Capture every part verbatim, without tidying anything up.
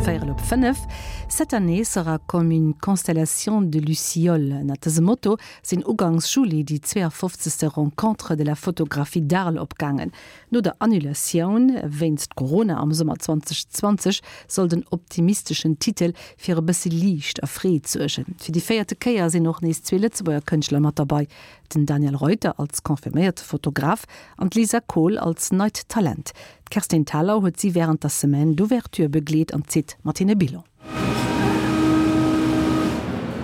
Véierel op fënnef. Cette année sera comme une constellation de lucioles. Ënnert dësem Motto sinn ugangs Juli déi zweeafofzegste Rencontres de la photographie d'Arles opgaangen. No der Annulatioun wéinst Corona am Summer zweedausendzwanzeg soll den optimisteschen Titel fir e bësse Liicht a Freed suergen. Fir déi véierte Kéier sinn och nees zwee Lëtzebuerger Kënschtler mat derbäi, den Daniel Reuter als confirméierte Fotograf an d'Lisa Kohl als neit Talent. D'Kerstin Thalau huet si wärend der Semaine d'ouverture begleet an zitt mat hinne Bilan.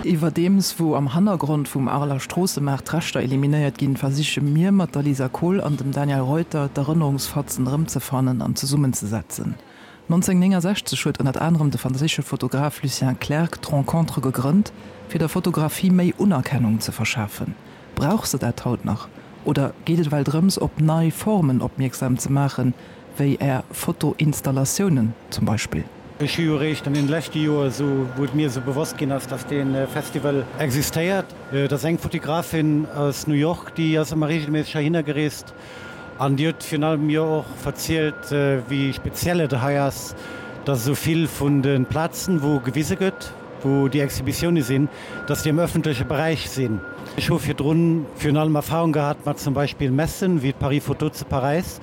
Iwwerdeems wou am Hannergrond vum Areler Stroossemaart d'Reschter eliminéiert ginn, versiche mir mat der Lisa Kohl an dem Daniel Reuter d'Erënnerungsfatzen erëmzefannen an zesummenzesetzen. nonzénhunnertnéngensechzeg huet ënnert anerem de franséische Fotograf Lucien Clergue d'Rencontres gegrënnt, fir der Fotografie méi Unerkennung ze verschafen. Brauch se dat haut nach? Oder geet et well drëms, op nei Formen opmierksam ze maachen, wéi Är Fotoinstallatiounen zum Beispill? Ech hu jo eréischt an den leschte Joer esou, wou et mir esou bewosst ginn ass, dass dee Festival existéiert. Et ass eng Fotografin aus New York, déi ass ëmmer reegelméisseg heihinner gereest an déi huet virun allem mir och verzielt, wéi speziell et hei ass, dass esou vill vun de Plazen, wou gewise gëtt, wou déi Exhibitioune sinn, dass déi am ëffentleche Beräich sinn. Ech hu virdrun virun allem Erfahrung gehat mat zum Beispill Messen, wéi d'Paris Photo zu Paräis.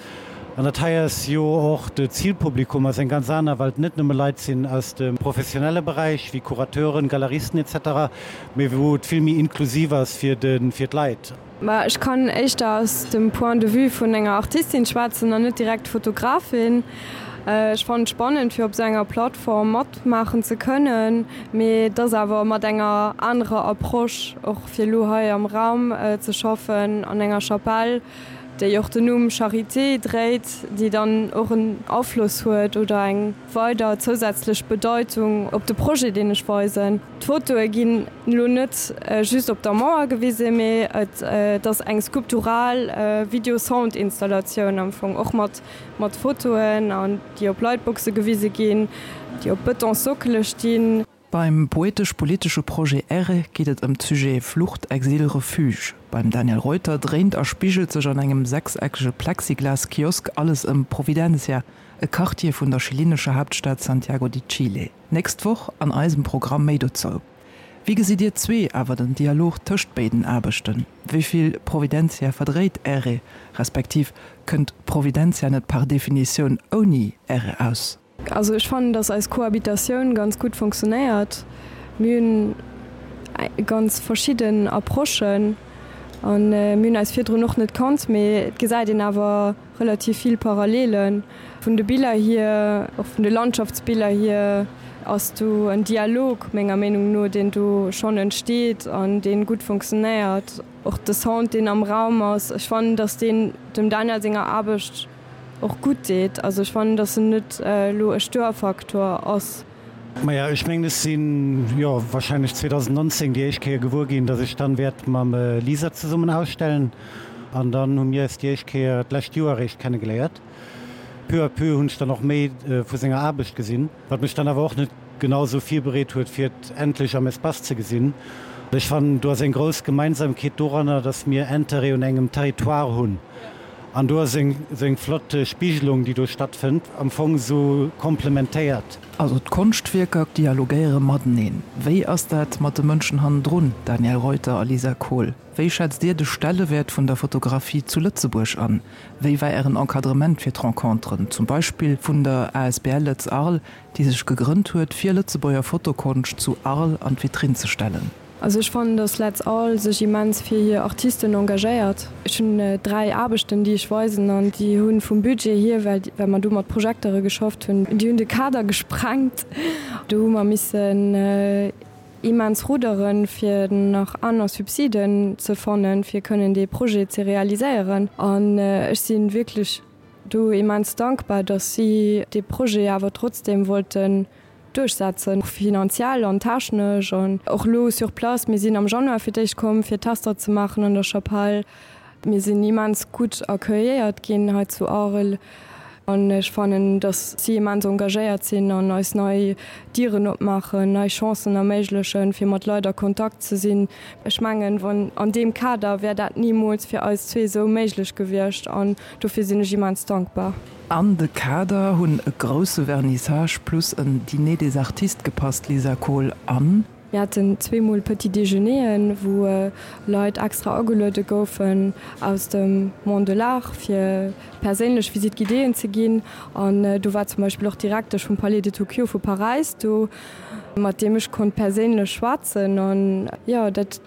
An dat hei ass jo och, de Zilpublikum ass eng ganz aner, well et net nëmme Leit sinn aus dem professionelle Beräich, wéi Curateuren, Galeristen et cetera, mee wou et vill méi inklusiv ass fir de fir d'Leit. Ma ech kann éischter aus dem Point de vue vun enger Artistin schwätzen an net direkt Fotografin. Ech fannen et spannend fir op esou enger Plattform matmaachen ze kënnen, mee et ass awer mat enger anerer Approche, och fir elo hei am Raum ze schaffen an enger Chapelle, déi och den Numm Charité dréit, déi dann och en Afloss huet oder eng weider zousätzlech Bedeitung op de Projet, deen ech weisen. D'Fotoe ginn elo net just op der Mauer gewisen, mee et ass eng skulptural Video-Sound-Installatioun am Fong, och mat mat Fotoen, an déi op Lightboxe gewise ginn, déi op Bëtonssockele stinn. Beim poetesch-politesche Projet Erre geet et ëm d'Sujete Flucht, Exil, Refuge. Beim Daniel Reuter dréint a spigelt sech an engem sechseckege Plexiglas-Kiosk alles ëm Providencia, e Quartier vun der chilenescher Haaptstad Santiago de Chile. Nächst Woch an eisem Programm méi dozou. Wéi gesitt Dir zwee awer den Dialog tëscht béiden Aarbechten? Wéi vill Providencia verdréit Erre, respektiv kënnt Providencia net par Definitioun ouni Erre aus? Also ech fannen, dass eis Cohabitatioun ganz gutt funktionéiert. Mir hunn ganz verschidden Approchen an mir hunn eis virdrun och net kannt, mee et gesäit een awer relativ vill Parallelen. Vun de Biller hier, och vun de Landschaftsbiller hier ass do en Dialog menger Meenung no, deen do schonn entsteet an dee gutt funktionéiert. Och de Sound, deen am Raum ass, ech fannen, dass deen dem Daniel senger Aarbecht och gutt deet. Also ech fannen, dass en net elo e Störfaktor ass. Maja, ech mengen, ech sinn, jo, wahrscheinlech zweedausendnonzéng déi éischt Kéier gewuer ginn, dass ech dann wäert mam Lisa zesummen ausstellen. An dann hu mir eis déi éischt Kéier d'lescht Joer eréischt kennegeléiert. Peu à peu hunn ech dann och méi vu senger Aarbecht gesinn, wat mech dann awer och net genau esou virbereet huet, fir et endlech am Espace ze gesinn. Ech fannen, do ass eng grouss Gemeinsamkeet doranner, dass mir Intérêt un engem Territoire hunn. An do ass eng esou eng flott Spigelung, déi do stattfënnt, am Fong esou komplementéiert. Also d'Konschtwierker dialogéiere mateneen. Wéi ass dat mat de Mënschen hannendrun, Daniel Reuter a Lisa Kohl? Wéi schätzt Dir de Stellewäert vun der Fotografie zu Lëtzebuerg an? Wéi war Ären Encadrement fir d'Renconteren, zum Beispill vun der asbl Lëtz Arles, déi sech gegrënnt huet, fir Lëtzebuerger Fotokonscht zu Arles an d'Vitrinn ze stellen? Also ech fannen, dass Let's All sech immens fir hir Artisten engagéiert. Ech hunn dräi Aarbechten, déi ech weisen, an déi hu vum Budget hier, well well mer do mat Projektere geschafft hunn, déi hunn de Kader gesprengt. Do hu mer missen immens rudderen, fir nach aner Subsiden ze fannen, fir kënnen dee Projet ze realiséieren. An ech si wierklech do immens dankbar, dass si dee Projet awer trotzdeem wollten duerchsetzen, finanziell an technesch an och elo sur place. Mir sinn am Januar fir d'éischt komm, fir Tester ze maachen an der Chapelle. Mir sinn immens gutt accueilléiert ginn hei zu Arel. An ech fannen, dass si immens engagéiert sinn an eis nei Dieren opmaachen, nei Chancen erméiglechen, fir mat Leit a Kontakt ze sinn. Ech mengen, wann an deem Kader wär dat nimools fir eis zwee esou méiglech gewiescht an dofir sinn ech immens dankbar. An de Kader hunn e grousse Vernissage plus en Dîner des artistes gepasst, Lisa Kohl, an. Mir haten zweemol Petit Déjeuneren, wou Leit extra ageluede goufen aus dem Monde de l'Art, fir perséinlech Visite guidéeën ze ginn. An do war zum Beispill och d'Direktesch vum Palais de Tokyo vu Paräis do, mat deem ech konnt perséinlech schwätzen. An jo, dat,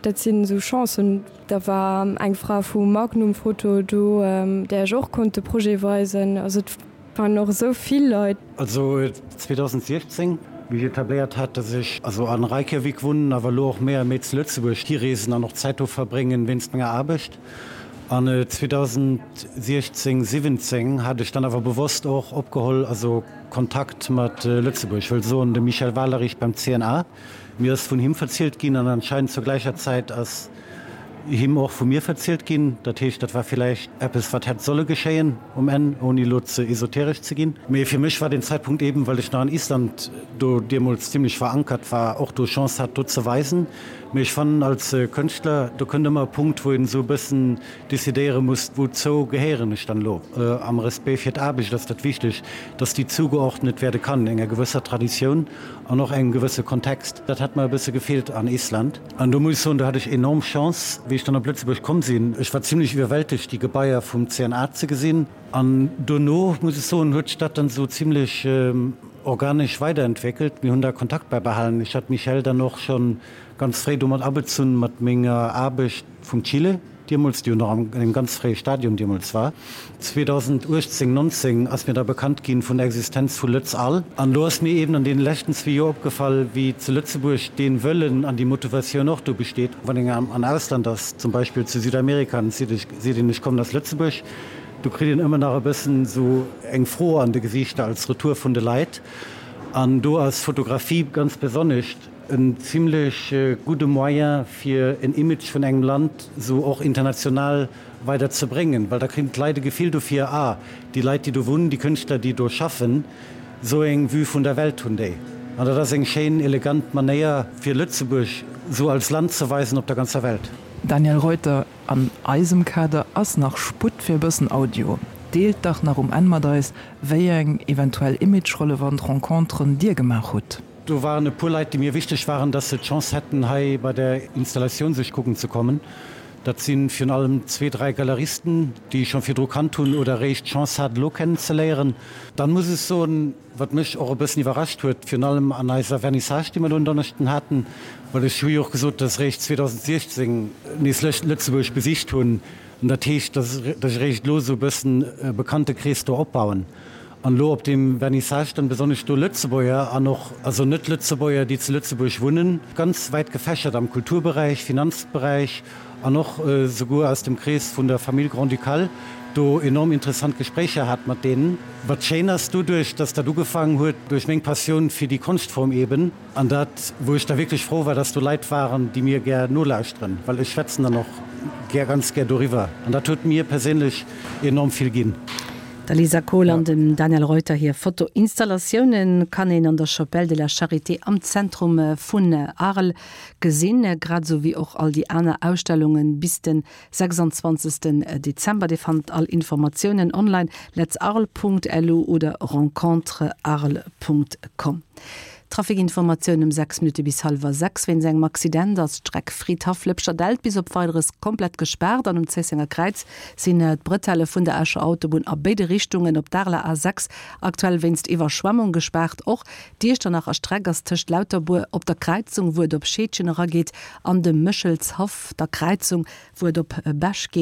dat sinn esou Chancen. Da war eng Fra vu Magnum Photo do, där ech och konnt de Projet weisen. Also et waren och esou vill Leit. Also zweedausendsechzéng, wéi ech etabléiert hat, dass ech also an Reykjavik wunnen, awer elo och méi a méi zu Lëtzebuerg hireesen an och Zäit do verbréngen wéinst menger Aarbecht. An zweedausendsechzéng, siwwenzéng hat ech dann awer bewosst och opgeholl, also Kontakt mat Lëtzebuerg, wëll soen de Michel Walerich beim C N A, mir ass vun him verzielt ginn an anscheinend zur gläicher Zäit ass him och vu mir verzielt ginn. Dat heescht, dat war villäicht eppes, wat hätt solle geschéien um Enn, ouni elo ze esoteresch ze ginn. Mee fir mech war den Zäitpunkt eben, well ech nach an Island do deemools zimlech verankert war, och do Chance hat, do ze weisen. Mee ech fannen, als Kënschtler, do kënnt ëmmer e Punkt, wou een esou e bëssen decidéiere muss, wouzou gehéieren ech dann elo. Am Respect fir d'Aarbecht ass dat wichteg, dass déi zugeordnet werde kann enger gewësser Traditioun an och engem gewësse Kontext. Dat hat mer e bësse gefeelt an Island. An do muss ech soen, do hat ech enorm Chance, wéi ech dann op Lëtzebuerg komm sinn. Ech war zimlech iwwerwältegt, déi Gebaier vum C N A ze gesinn. An dono, muss ech soen, huet sech dat dann esou zimlech organesch weiderentwéckelt. Mir hunn da Kontakt bäibehalen. Ech hat d'Michèle dann och schonn ganz fréi domat abezunn, mat menger Aarbecht vum Chile deemools, déi jo nach an engem ganz fréie Stadium deemools war. zweedausenduechtzéng, nonzéng ass mir da bekannt ginn vun der Existenz vu LëtzAll. An do ass mir eben an deene leschten zwee Joer opgefall, wéi zu Lëtzebuerg dee Wëllen an déi Motivatioun och do besteet. Wann een am Ausland ass, zum Beispill zu Südamerika, an et seet een, ech kommen aus Lëtzebuerg, do kritt een ëmmer nach e bëssen esou eng Fro an de Gesiichter als Retour vun de Leit. An do ass Fotografie ganz besonnesch en zimlech gudde Moyen, fir en Image vun engem Land esou och international weider ze bréngen, well da kréien d'Leit e Gefill dofir, ah, déi Leit, déi do wunnen, déi Kënschtler, déi do schaffen, esou eng Vue vun der Welt hunn déi. An dat ass eng schéin, elegant Manéier, fir Lëtzebuerg esou als Land ze weisen op der ganzer Welt. Daniel Reuter, An eisem Kader ass nach Sputt fir e bëssen Audio. Deelt dach nach um Enn mat eis, wéi eng eventuell imagerelevant Renconteren Dir gemaach hutt. Do waren e puer Leit, déi mir wichteg waren, dass se d'Chance hätten, hei bei der Installatioun sech kucken ze kommen. Dat si virun allem zwee, dräi Galeristen, déi ech scho virdru kannt hunn oder eréischt d'Chance hat, elo kennenzeléieren. Dann muss ech soen, wat mech och e bëssen iwwerrascht huet, virun allem an eiser Vernissage, déi mer elo en Donneschden haten, well ech hu jo och gesot, dass ech eréischt zweedausendsechzéng nees Lëtzebuerg besicht hunn, an dat heescht, dass ech eréischt elo esou e bëssen e Bekanntekrees do opbauen. An elo op deem Vernissage dann besonnesch do Lëtzebuerger an och also Net-Lëtzebuerger, déi zu Lëtzebuerg wunnen, ganz wäit gefächert am Kulturberäich, Finanzberäich an och souguer aus dem Krees vun der Famille grand-ducale, do enorm interessant Gespréicher hat mat deenen. Wat schéin ass, doduerch, dass dat ugefaangen huet duerch meng Passioun fir déi Konschtform eben, an dat, wou ech da wierklech frou war, dass do Leit waren, déi mir gär nolauschteren, well ech schwätzen dann och gär, ganz gär doriwwer, an dat huet mir perséinlech enorm vill ginn. Der Lisa Kohl an dem Daniel Reuter hir Fotoinstallatioune kann een an der Chapelle de la Charité am Zentrum vun Arles gesinn, grad esou wéi och all déi aner Ausstellungen bis den sechsundzwanzegsten Dezember. Dir fannt all Informatiounen online letsarles Punkt L U oder rencontrearles Punkt com. Trafikinformatioun um sechs Minutte bis hallwer sechs. Wéinst engem Accident ass d'Streck Fridhaff-Lëpscherdelt bis op Weideres komplett gespaart an um Zéissenger Kräiz sinn d'Bretelle vun der Escher Autobunn a béide Richtungen op d'Areler A sechs aktuell wéinst Iwwerschwemmung gespaart. Och d'Iechternacher Streck ass tëscht Lauterbuer op der Kräizung, wou et op Scheedgen erageet, an dem Méchelshaff, der Kräizung, wou et op Bech geet.